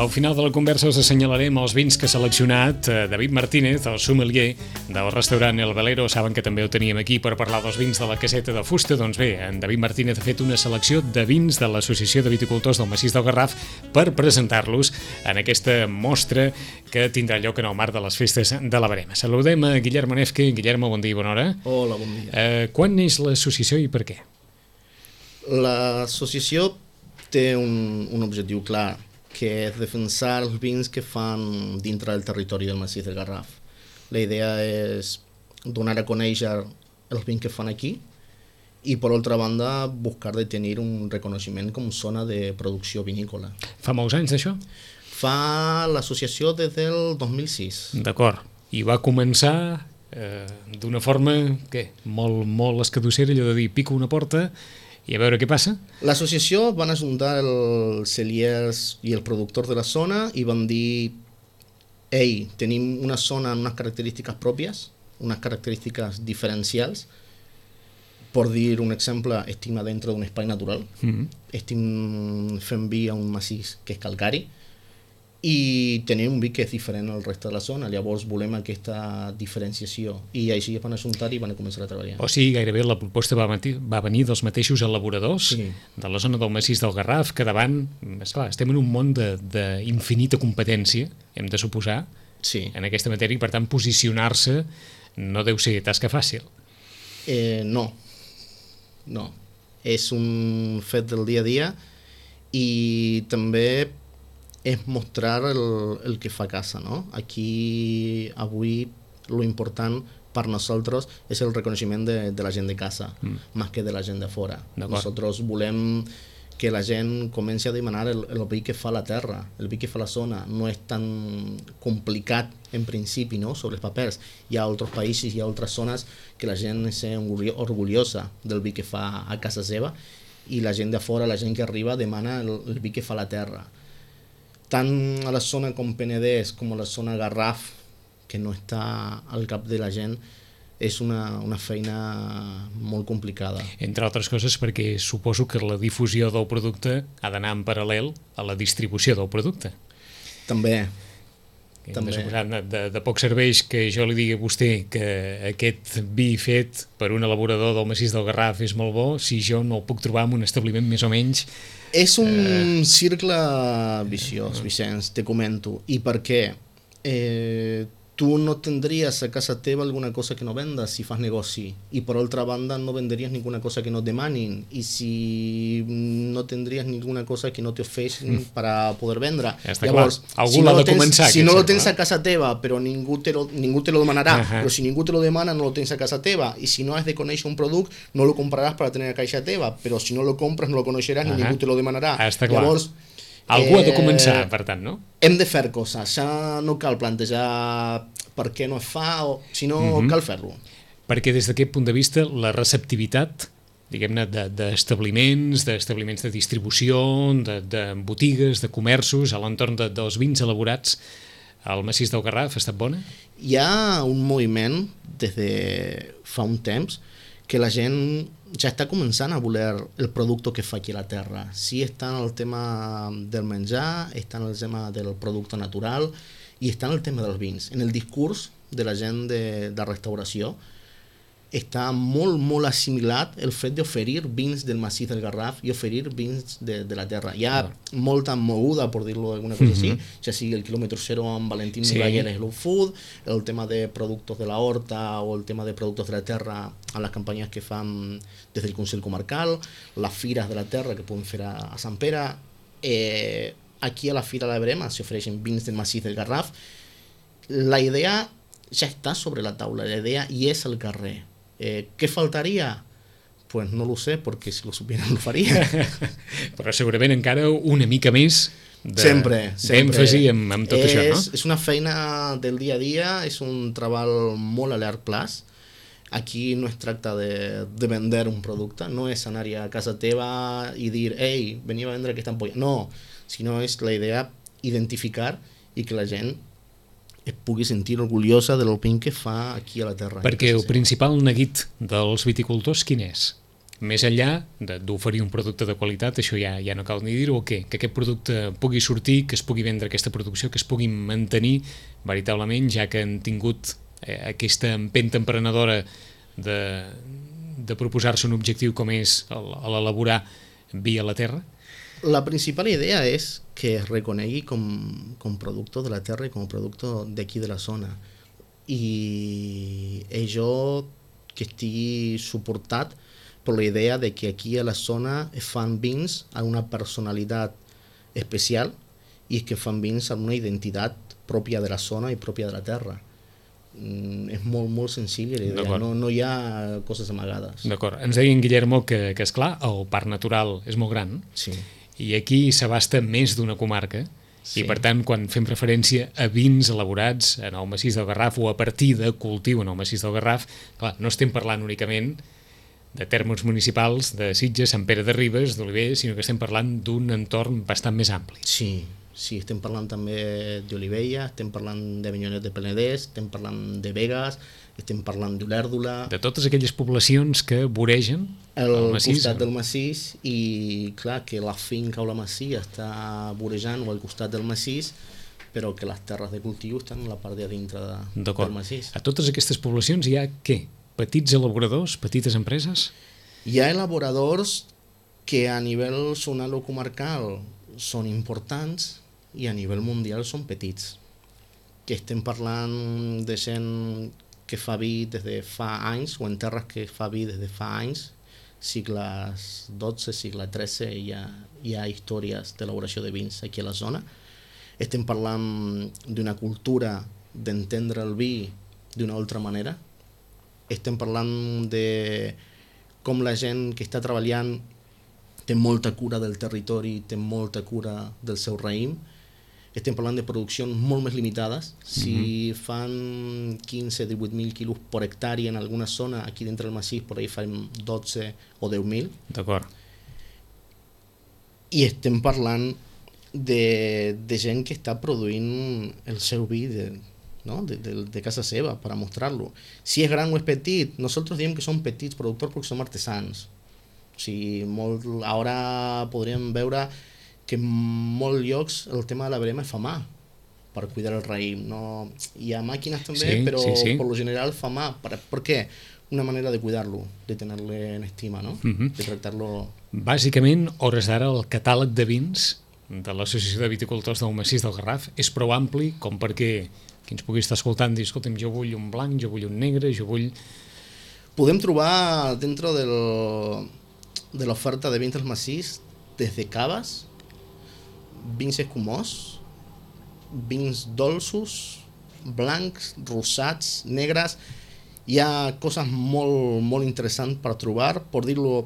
Al final de la conversa us assenyalarem els vins que ha seleccionat David Martínez, el sommelier del restaurant El Velero. Saben que també ho teníem aquí per parlar dels vins de la caseta de fusta. Doncs bé, en David Martínez ha fet una selecció de vins de l'Associació de Viticultors del Massís del Garraf per presentar-los en aquesta mostra que tindrà lloc en el marc de les festes de la Verema. Saludem a Guillermo Nefque. Guillermo, bon dia i bona hora. Hola, bon dia. Quan neix l'associació i per què? L'associació té un objectiu clar, que és defensar els vins que fan dintre del territori del Massís del Garraf. La idea és donar a conèixer els vins que fan aquí i, per altra banda, buscar de tenir un reconeixement com zona de producció vinícola. Fa molts anys d'això? Fa l'associació des del 2006. D'acord. I va començar d'una forma, molt escadossera, allò de dir, pico una porta i a veure què passa? L'associació van ajuntar els celiers i els productors de la zona i van dir: ei, tenim una zona amb unes característiques pròpies, unes característiques diferencials. Per dir un exemple, estem a dintre d'un espai natural, estem fent vi a un massís que és calcari i tenim un vi que és diferent al reste de la zona. Llavors volem aquesta diferenciació i així es van ajuntar i van començar a treballar. O sigui, gairebé la proposta va venir dels mateixos elaboradors de la zona del Massís del Garraf, que davant, esclar, estem en un món d'infinita competència, hem de suposar, en aquesta matèria, i per tant posicionar-se no deu ser tasca fàcil. No, és un fet del dia a dia i també és mostrar el que fa a casa, ¿no? Aquí, avui, lo important per nosaltres és el reconeixement de la gent de casa, més que de la gent de fora. Nosaltres volem que la gent comenci a demanar el vi que fa la terra, el vi que fa la zona. No és tan complicat en principi, no?, sobre els papers. Hi ha altres països, hi ha altres zones que la gent és orgullosa del vi que fa a casa seva i la gent de fora, la gent que arriba, demana el vi que fa la terra. Tant a la zona com Penedès com a la zona Garraf, que no està al cap de la gent, és una feina molt complicada. Entre altres coses perquè suposo que la difusió del producte ha d'anar en paral·lel a la distribució del producte. També. De poc serveix que jo li digui a vostè que aquest vi fet per un elaborador del Massís del Garraf és molt bo si jo no el puc trobar en un establiment més o menys. És un cercle viciós, Vicenç, te comento. I per què? Tu no tendries a casa teva alguna cosa que no vendas si fas negoci, i per altra banda no vendries ninguna cosa que no et demanin, i si no tendries ninguna cosa que no te ofrecen para poder vendre. Llavors, algú l'ha de començar. Si no lo tens a casa teva, però ningú te lo demanarà, però si ningú te lo demana no lo tens a casa teva, i si no has de conèixer un producte no lo compraràs per tenir a casa teva, però si no lo compres no lo coneixeràs ni ningú te lo demanarà. Llavors, algú ha de començar, per tant, no? Hem de fer coses, ja no cal plantejar per què no es fa, sinó cal fer-lo. Perquè des d'aquest punt de vista la receptivitat, diguem-ne, d'establiments de distribució, de botigues, de comerços, a l'entorn dels vins elaborats al Massís del Garraf ha estat bona? Hi ha un moviment des de fa un temps que la gent ja està començant a voler el producte que fa aquí a la terra. Sí, està en el tema del menjar, està en el tema del producte natural i està en el tema dels vins. En el discurs de la gent de restauració està molt assimilat el fet d'oferir vins del Massís del Garraf i oferir vins de la terra. Hi ha molta moguda, per dir-lo d'alguna cosa així, ja sigui el quilòmetre zero amb Valentín Muraller i Slow Food, el tema de productes de la horta o el tema de productes de la terra a les campanyes que fan des del Consell Comarcal, les fires de la terra que poden fer a Sant Pere. Aquí a la Fira de la Verema s'ofereixen vins del Massís del Garraf. La idea ja està sobre la taula, la idea hi és al carrer. ¿Qué faltaría? Pues no lo sé, porque si lo supieran lo faria. Però segurament encara una mica més d'èmfasi amb tot això, no? És una feina del dia a dia, és un treball molt a llarg plaç. Aquí no es tracta de vender un producte, no és anar a casa teva i dir, ei, veniu a vendre aquesta ampolla. No, sinó és la idea identificar i que la gent es pugui sentir orgullosa del vin que fa aquí a la terra. Perquè el principal neguit dels viticultors quin és? més enllà d'oferir un producte de qualitat, això ja no cal ni dir-ho, o què? Que aquest producte pugui sortir, que es pugui vendre aquesta producció, que es pugui mantenir veritablement, ja que han tingut aquesta empenta emprenedora de proposar-se un objectiu com és l'elaborar vi a la terra? La principal idea és que es reconegui com producte de la terra i com a producte d'aquí de la zona. I això que estigui suportat per la idea de que aquí a la zona es fan vins amb una personalitat especial i que fan vins amb una identitat pròpia de la zona i pròpia de la terra. És molt, molt senzill la idea, no hi ha coses amagades. D'acord. Ens deia en Guillermo que esclar, el parc natural és molt gran, sí, i aquí s'abasta més d'una comarca, sí. I per tant, quan fem referència a vins elaborats en el massís del Garraf o a partir de cultiu en el massís del Garraf, clar, no estem parlant únicament de termes municipals de Sitges, Sant Pere de Ribes, d'Oliver, sinó que estem parlant d'un entorn bastant més ampli. Sí, estem parlant també d'Olivella, estem parlant de Avinyonet de Penedès, estem parlant de Begues, estem parlant d'Olèrdola... De totes aquelles poblacions que voregen el massís. Costat del massís, i clar, que la finca o la masia està vorejant o al costat del massís, però que les terres de cultiu estan a la part de dintre del massís. A totes aquestes poblacions hi ha què? Petits elaboradors, petites empreses? Hi ha elaboradors que a nivell zonal o comarcal són importants i a nivell mundial són petits. Que estem parlant de gent que fa vi des de fa anys, o en terres que fa vi des de fa anys, segles XII, segle XIII, hi ha històries d'elaboració de vins aquí a la zona. Estem parlant d'una cultura d'entendre el vi d'una altra manera. Estem parlant de com la gent que està treballant té molta cura del territori, té molta cura del seu raïm. Estem parlant de produccions molt més limitades. Si fan 15-18.000 quilos per hectàrea en alguna zona, aquí dintre del massís, per ahí fan 12 o 10.000. D'acord. I estem parlant de gent que està produint el seu vi de casa seva per a mostrar-lo. Si és gran o és petit, nosaltres diem que són petits productors perquè som artesans. O sigui, ara podríem veure que en molts llocs el tema de la verema es fa mà per cuidar el raïm. No, hi ha màquines també, però per lo general fa mà. ¿Por qué? Una manera de cuidarlo, de tenerle en estima, ¿no? De tractar-lo... Bàsicament, hores d'ara, el catàleg de vins de l'Associació de Viticultors del Massís del Garraf és prou ampli com perquè qui ens pugui estar escoltant dir, escolta'm, jo vull un blanc, jo vull un negre, jo vull... Podem trobar dentro de l'oferta de vins del massís des de caves, vins escumós, vins dolços, blancs, rosats, negres. Hi ha coses molt, molt interessants per trobar, per dir-lo,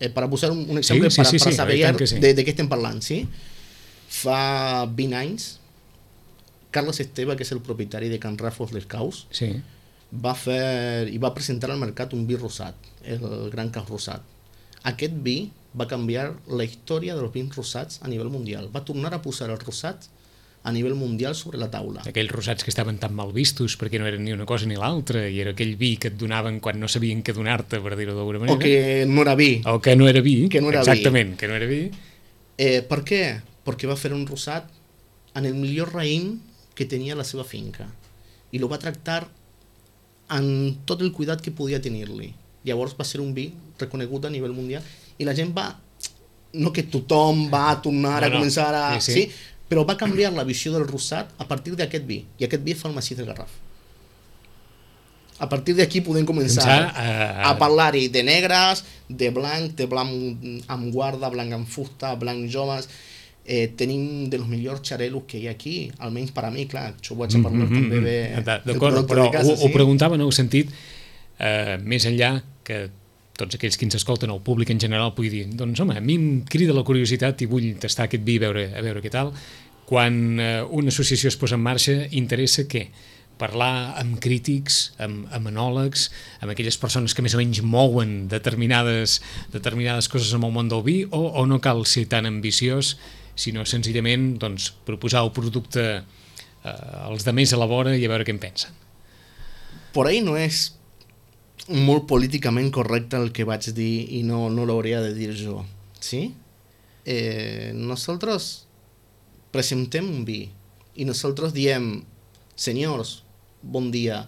per posar un exemple per saber de què estem parlant. Sí? Fa 20 anys, Carles Esteve, que és el propietari de Can Ràfols les Caus, va presentar al mercat un vi rosat, el Gran Caus Rosat. Aquest vi va canviar la història dels vins rosats a nivell mundial. Va tornar a posar el rosat a nivell mundial sobre la taula. Aquells rosats que estaven tan mal vistos perquè no eren ni una cosa ni l'altra i era aquell vi que et donaven quan no sabien què donar-te, per dir-ho d'alguna manera. O que no era vi. O que no era vi, exactament, que no era vi. Per què? Perquè va fer un rosat en el millor raïm que tenia la seva finca i lo va tractar amb tot el cuidat que podia tenir-li. Llavors va ser un vi reconegut a nivell mundial i la gent no que tothom va tornar a començar a... Sí, però va canviar la visió del rosat a partir d'aquest vi, i aquest vi fa el massís del Garraf. A partir d'aquí podem començar a parlar-hi de negres, de blanc amb guarda, blanc amb fusta, blanc joves. Tenim dels millors xarelos que hi ha aquí, almenys per a mi, clar, això ho vaig a parlar també bé. D'acord, però ho preguntava en el sentit més enllà que tots aquells que ens escolten, el públic en general, pugui dir, doncs home, a mi em crida la curiositat i vull tastar aquest vi a veure què tal. Quan una associació es posa en marxa, interessa què? Parlar amb crítics, amb enòlegs, amb aquelles persones que més o menys mouen determinades coses en el món del vi, o no cal ser tan ambiciós, sinó senzillament proposar el producte als de més elabora i a veure què en pensen? Por ahí no es molt políticament correcte el que vaig dir i no l'hauria de dir jo. Sí? Nosaltres presentem un vi i nosaltres diem, senyors, bon dia,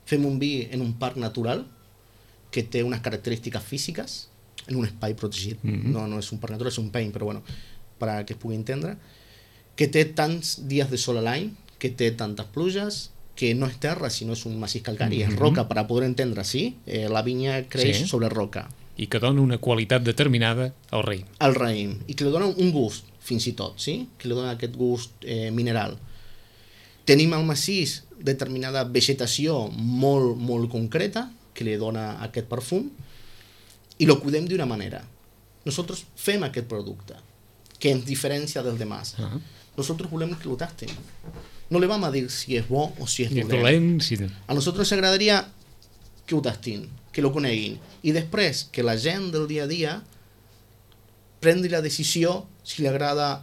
fem un vi en un parc natural que té unes característiques físiques en un espai protegit. No és un parc natural, és un paint, però bueno, per a que es pugui entendre, que té tants dies de sol a l'any, que té tantes pluges, que no és terra, sinó és un massís calcari, és roca, per a poder entendre, sí? La vinya creix sobre roca. I que dona una qualitat determinada al raïm. Al raïm, i que li dona un gust, fins i tot, sí? Que li dona aquest gust mineral. Tenim al massís determinada vegetació molt, molt concreta, que li dona aquest perfum, i lo cuidem d'una manera. Nosaltres fem aquest producte, que ens diferencia dels demás. Nosotros volem que lo tasten. No le vamos a dir si és bo o si és dolent. A nosaltres ens agradaria que ho tastin, que lo coneguin, i després que la gent del dia a dia prengui la decisió si li agrada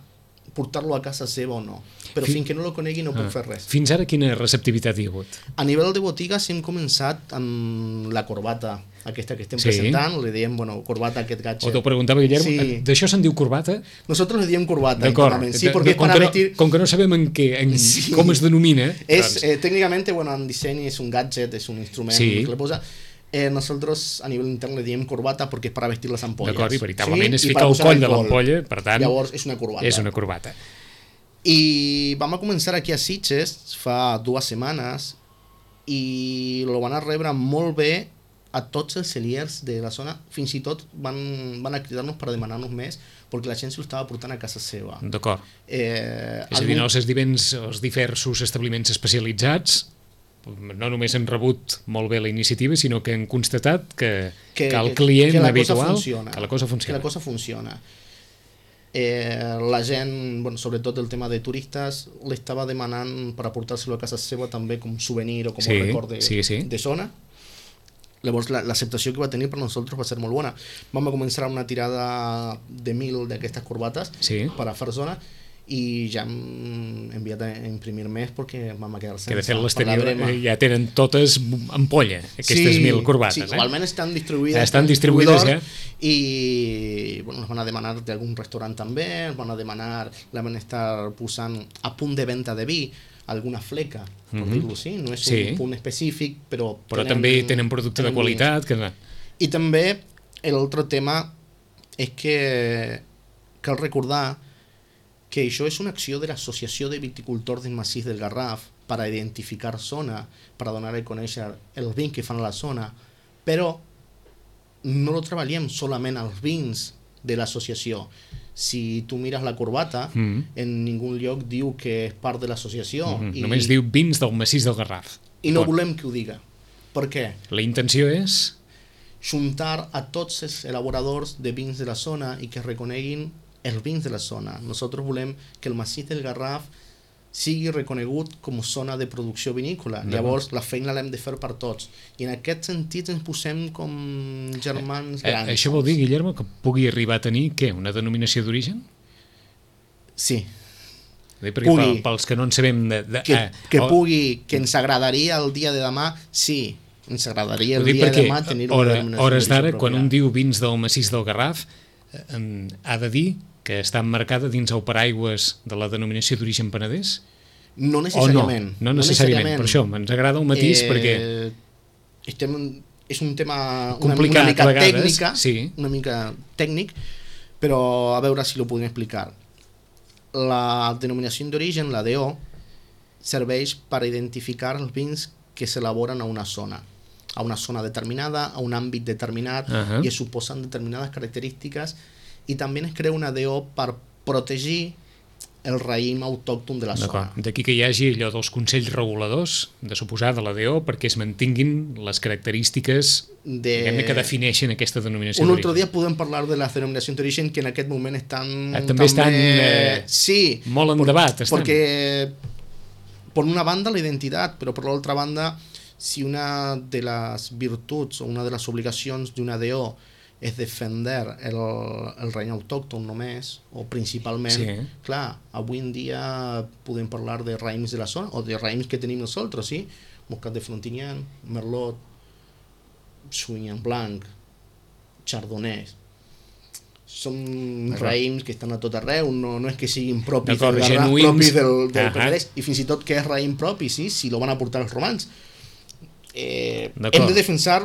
portar-lo a casa seva o no. Però fins que no lo conegui no pot fer res. Fins ara quina receptivitat hi ha hagut? A nivell de botigues hem començat amb la corbata, aquesta que estem presentant, li diem, corbata, aquest gadget. O t'ho preguntava, Guillermo, d'això se'n diu corbata? Nosaltres li diem corbata. D'acord, com que no sabem com es denomina. Tècnicament, en disseny és un gadget, és un instrument que le posa. Nosotros a nivell intern le diem corbata perquè és per vestir les ampolles. D'acord, i veritablement es fica al coll de l'ampolla, per tant... Llavors és una corbata. És una corbata. I vam a començar aquí a Sitges fa 2 setmanes i lo van a rebre molt bé a tots els celiers de la zona, fins i tot van a cridar-nos per demanar-nos més perquè la gent s'ho estava portant a casa seva. D'acord. És a dir, els diversos establiments especialitzats no només han rebut molt bé la iniciativa, sinó que han constatat que el client habitual... Que la cosa funciona. La gent, sobretot el tema de turistes, l'estava demanant per aportar-se-lo a casa seva també com souvenir o com un record de zona. Llavors l'acceptació que va tenir per nosaltres va ser molt bona. Vam començar una tirada de 1.000 d'aquestes corbates per a fer zona i ja hem enviat a imprimir més perquè vam quedar sense. Que de fet l'exterior ja tenen totes ampolla, aquestes 1.000 corbates. Sí, almenys estan distribuïdes. Estan distribuïdes ja. I ens van a demanar d'algun restaurant també, ens van a demanar, la van estar posant a punt de venda de vi, alguna fleca, per dir-ho així, no és un punt específic, però també tenen producte de qualitat. I també l'altre tema és que cal recordar que això és una acció de l'Associació de Viticultors del Massís del Garraf per a identificar zona, per a donar a conèixer els vins que fan a la zona, però no lo treballem solament als vins de l'associació. Si tu mires la corbata, en ningú lloc diu que és part de l'associació. Només diu vins del Massís del Garraf. I no volem que ho diga. Per què? La intenció és juntar a tots els elaboradors de vins de la zona i que reconeguin els vins de la zona. Nosaltres volem que el Massís del Garraf sigui reconegut com a zona de producció vinícola. Llavors la feina l'hem de fer per tots. I en aquest sentit ens posem com germans grans. Això vol dir, Guillermo, que pugui arribar a tenir, què, una denominació d'origen? Sí. Perquè pels que no en sabem... Que ens agradaria el dia de demà, sí. Ens agradaria el dia de demà tenir una denominació d'origen. Hores d'ara, quan un diu vins del Massís del Garraf, ha de dir que està emmarcada dins el paraigües de la denominació d'origen Penedès? No necessàriament. No necessàriament, per això ens agrada el matís perquè... És un tema complicat, una mica tècnic, però a veure si ho podem explicar. La denominació d'origen, la DO, serveix per identificar els vins que s'elaboren a una zona determinada, a un àmbit determinat, i es suposen determinades característiques, i també es crea una DO per protegir el raïm autòcton de la zona. D'aquí que hi hagi allò dels consells reguladors, de suposar, de la DO, perquè es mantinguin les característiques que defineixen aquesta denominació d'origen. Un altre dia podem parlar de les denominacions d'origen que en aquest moment estan... També estan molt en debat. Perquè, per una banda, la identitat, però per l'altra banda, si una de les virtuts o una de les obligacions d'una DO és defender el raïm autòcton només, o principalment, clar, avui en dia podem parlar de raïms de la zona, o de raïms que tenim nosaltres, sí? Moscat de Frontignan, Merlot, Sauvignon Blanc, Chardonnay, són raïms que estan a tot arreu, no és que siguin propis del Garraf, propis del Penedès, i fins i tot que és raïm propi, sí, si lo van a portar els romans. Hem de defensar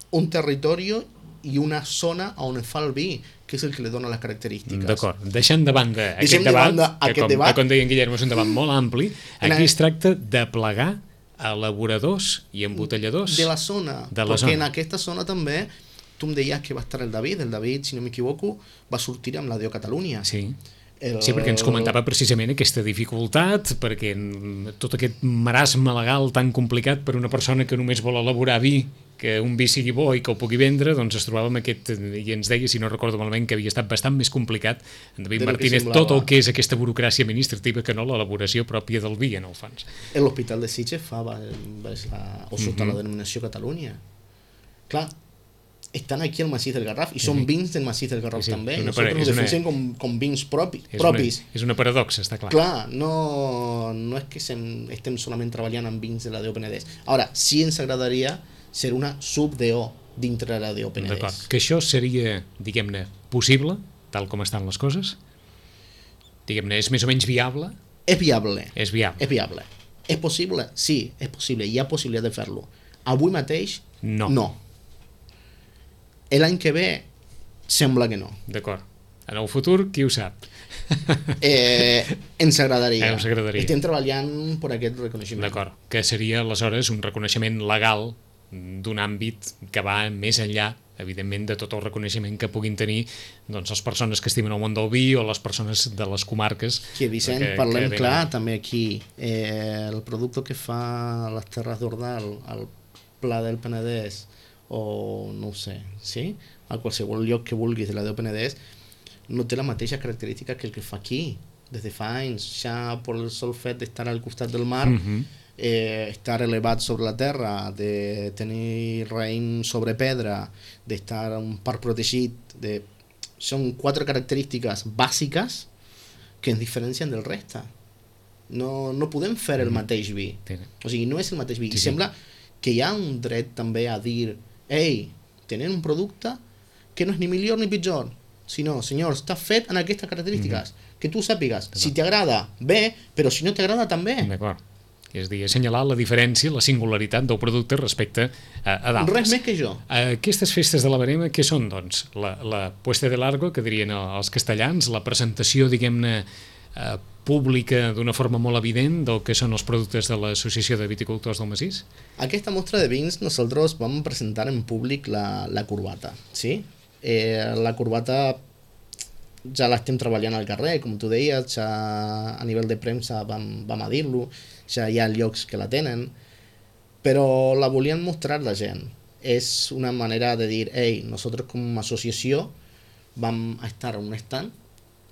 un territori i una zona on fa el vi, que és el que li dona les característiques. D'acord, deixant de banda aquest debat, com deia en Guillermo, és un debat molt ampli. Aquí es tracta de plegar elaboradors i embotelladors de la zona, perquè en aquesta zona també tu em deies que va estar el David, si no m'equivoco, va sortir amb la DO Catalunya. Sí. Sí, perquè ens comentava precisament aquesta dificultat, perquè tot aquest marasme legal tan complicat per una persona que només vol elaborar vi, que un vi sigui bo i que ho pugui vendre, doncs es trobava amb aquest, i ens deia, si no recordo malament, que havia estat bastant més complicat, en David Martínez, tot el que és aquesta burocràcia administrativa que no l'elaboració pròpia del vi, en el fons. L'Hospital de Sitges fa sota la denominació Catalunya. Clar, estan aquí al Massís del Garraf i són vins del Massís del Garraf també. Nosaltres ho defensem com vins propis. És una paradoxa, està clar. Clar, no és que estem solament treballant amb vins de la DO Penedès. Ara, sí ens agradaria ser una sub-DO dintre de la DO Penedès. D'acord, que això seria, diguem-ne, possible, tal com estan les coses? Diguem-ne, és més o menys viable? És viable. És viable. És viable. És possible? Sí, és possible. Hi ha possibilitat de fer-lo. Avui mateix, no. L'any que ve sembla que no. D'acord. En el futur, qui ho sap? Ens agradaria. Ens agradaria. Estem treballant per aquest reconeixement. D'acord. Que seria, aleshores, un reconeixement legal d'un àmbit que va més enllà, evidentment, de tot el reconeixement que puguin tenir doncs, les persones que estimen el món del vi o les persones de les comarques. Que, Vicent, parlem clar, també aquí. El producte que fa les Terres d'Ordal, el Pla del Penedès, o no ho sé, sí? A qualsevol lloc que vulguis de la DO Penedès, no té la mateixa característica que el que fa aquí. Des de fa anys, ja per el sol fet d'estar al costat del mar, estar elevat sobre la terra, de tenir raïm sobre pedra, d'estar en un parc protegit, són 4 característiques bàsiques que ens diferencien del reste. No podem fer el mateix vi. O sigui, no és el mateix vi. I sembla que hi ha un dret també a dir ei, tenen un producte que no és ni millor ni pitjor, sinó, senyor, està fet en aquestes característiques, que tu sàpigues, si t'agrada, bé, però si no t'agrada, també. D'acord. És a dir, assenyalar la diferència, la singularitat del producte respecte a d'altres. Res més que jo. Aquestes festes de la Verema, què són, doncs? La puesta de largo, que dirien els castellans, la presentació, diguem-ne, pública d'una forma molt evident del que són els productes de l'Associació de Viticultors del Massís? Aquesta mostra de vins nosaltres vam presentar en públic la corbata, sí? La corbata ja l'estem treballant al carrer, com tu deies, ja a nivell de premsa vam a dir-lo, ja hi ha llocs que la tenen, però la volien mostrar la gent. És una manera de dir, ei, nosaltres com a associació vam estar a un stand,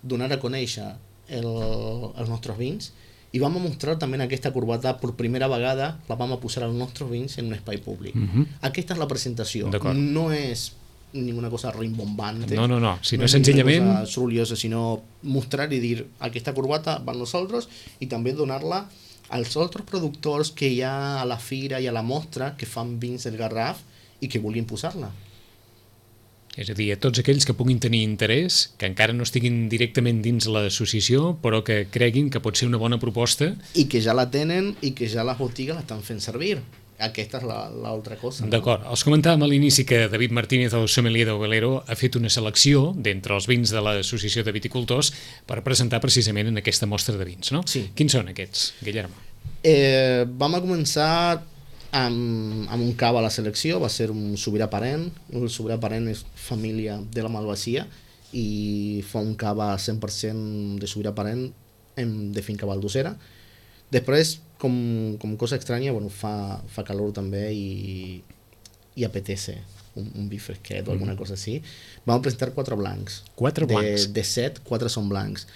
donar a conèixer els nostres vins i vam a mostrar també aquesta corbata per primera vegada, la vam a posar els nostres vins en un espai públic. Aquesta és la presentació, no és ninguna cosa rimbombante, no, sinó senzillament cosa sorollosa, sinó mostrar i dir aquesta corbata va a nosaltres i també donar-la als altres productors que hi ha a la fira i a la mostra que fan vins del Garraf i que vulguin posar-la. És a dir, a tots aquells que puguin tenir interès, que encara no estiguin directament dins l'associació, però que creguin que pot ser una bona proposta. I que ja la tenen i que ja les botigues l'estan fent servir. Aquesta és l'altra cosa. D'acord. Els comentàvem a l'inici que David Martínez, el sommelier del Velero, ha fet una selecció d'entre els vins de l'Associació de Viticultors per presentar precisament en aquesta mostra de vins, no? Sí. Quins són aquests, Guillermo? Vam a començar amb un cava a la selecció, va ser un sobirà parent. El sobirà parent és família de la Malvasia i fa un cava 100% de sobirà parent de finca valdosera. Després, com cosa estranya, bueno, fa calor també i apetece un vi fresquet o alguna cosa així. Vam presentar 4 blancs. 4 blancs? De 7, 4 són blancs.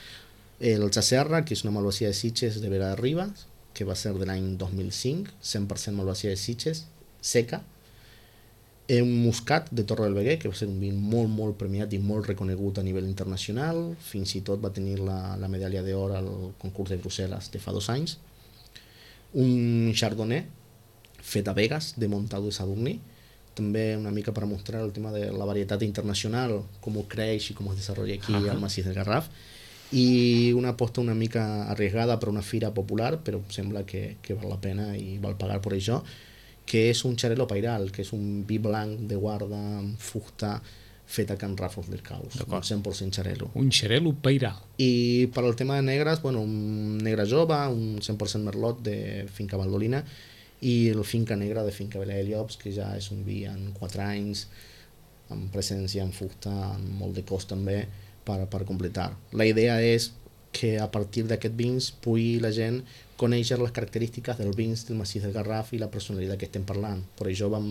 El Chaserra, que és una Malvasia de Sitges de Vera de Ribes, que va ser de l'any 2005, 100% Malvasia de Sitges, seca. Un Muscat de Torre del Veguer, que va ser un vi molt, molt premiat i molt reconegut a nivell internacional, fins i tot va tenir la medalla d'or al concurs de Brussel·les de fa 2 anys. Un Chardonnay fet a Begues, de Montado de Sadurní, també una mica per mostrar el tema de la varietat internacional, com creix i com es desenvolupa aquí al Massís del Garraf, i una aposta una mica arriesgada per una fira popular, però sembla que val la pena i val pagar per això, que és un xarel·lo pairal, que és un vi blanc de guarda amb fusta fet a Can Ràfols del Caus, un 100% xarel·lo. Un xarel·lo pairal. I per al tema de negres, bueno, un negre jove, un 100% merlot de Finca Valdolina, i el Finca Negra de Finca Vila de Llops, que ja és un vi en 4 anys, amb presència en fusta, amb molt de cos també, per completar. La idea és que a partir d'aquests vins pugui la gent conèixer les característiques dels vins del Massís del Garraf i la personalitat que estem parlant. Per això vam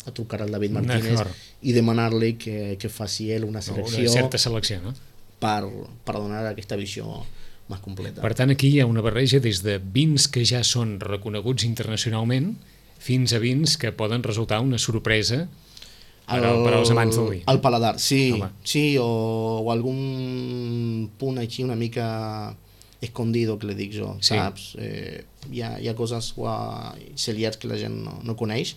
a trucar al David Martínez i demanar-li que faci ell una selecció, una certa selecció, no? per donar aquesta visió més completa. Per tant, aquí hi ha una barreja des de vins que ja són reconeguts internacionalment fins a vins que poden resultar una sorpresa per als amants del vi. Al paladar, sí. Sí, o algun punt així una mica escondido, que li dic jo, saps? Hi ha coses celiars que la gent no coneix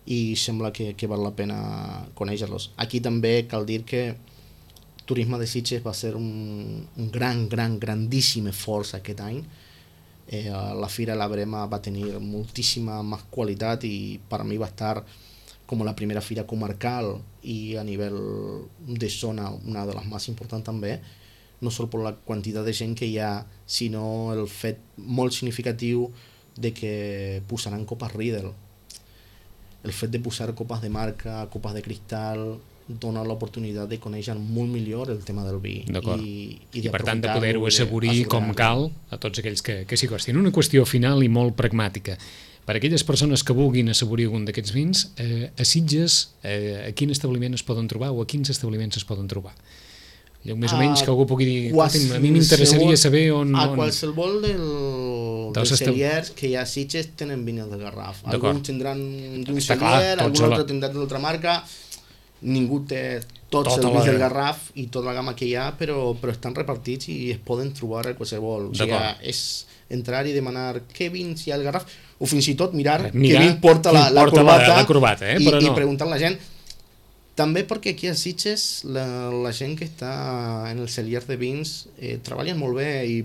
i sembla que val la pena conèixer-los. Aquí també cal dir que Turisme de Sitges va ser un grandíssim esforç aquest any. La Fira La Brema va tenir moltíssima més qualitat i per mi va estar com la primera fira comarcal i a nivell de zona una de les més importants també, no sol per la quantitat de gent que hi ha, sinó el fet molt significatiu de que posaran copes Riedel. El fet de posar copes de marca, copes de cristal, dona l'oportunitat de conèixer molt millor el tema del vi. I per tant de poder-ho assaborir com cal a tots aquells que s'hi costin. Una qüestió final i molt pragmàtica. Per a aquelles persones que vulguin assaborir algun d'aquests vins, a Sitges, a quin establiment es poden trobar o a quins establiments es poden trobar? Més o menys que algú pugui dir, a mi m'interessaria saber on... A qualsevol dels cellers que hi ha a Sitges tenen vins del Garraf. Alguns tindran d'un celler, algun altre tindran d'altra marca, ningú té tots els vins del Garraf i tota la gamma que hi ha, però estan repartits i es poden trobar a qualsevol. O sigui, és entrar i demanar què vins hi ha al Garraf, o fins i tot mirar què vin porta la corbata i preguntar a la gent. També perquè aquí a Sitges la gent que està en els cellers de vins treballen molt bé i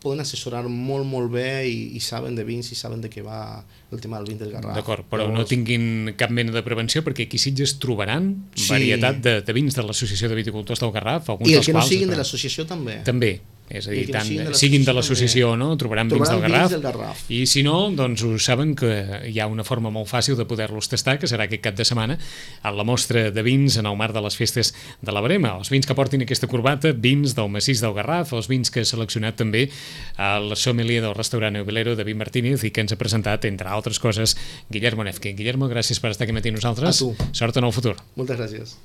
poden assessorar molt bé i saben de vins i saben de què va el tema del vin del Garraf. D'acord, però no tinguin cap mena de prevenció perquè aquí a Sitges trobaran varietat de vins de l'Associació de Viticultors del Garraf. I els que no siguin de l'associació també. També. És a dir, tant siguin de l'associació o no, trobaran vins del Garraf, i si no, doncs ho saben que hi ha una forma molt fàcil de poder-los tastar, que serà aquest cap de setmana a la mostra de vins en el marc de les festes de la Brema. Els vins que portin aquesta corbata, vins del Massís del Garraf, els vins que ha seleccionat també el sommelier del restaurant Eubilero, David Martínez, i que ens ha presentat, entre altres coses, Guillermo Nefke. Guillermo, gràcies per estar aquí matí amb nosaltres. A tu. Sort en el futur. Moltes gràcies.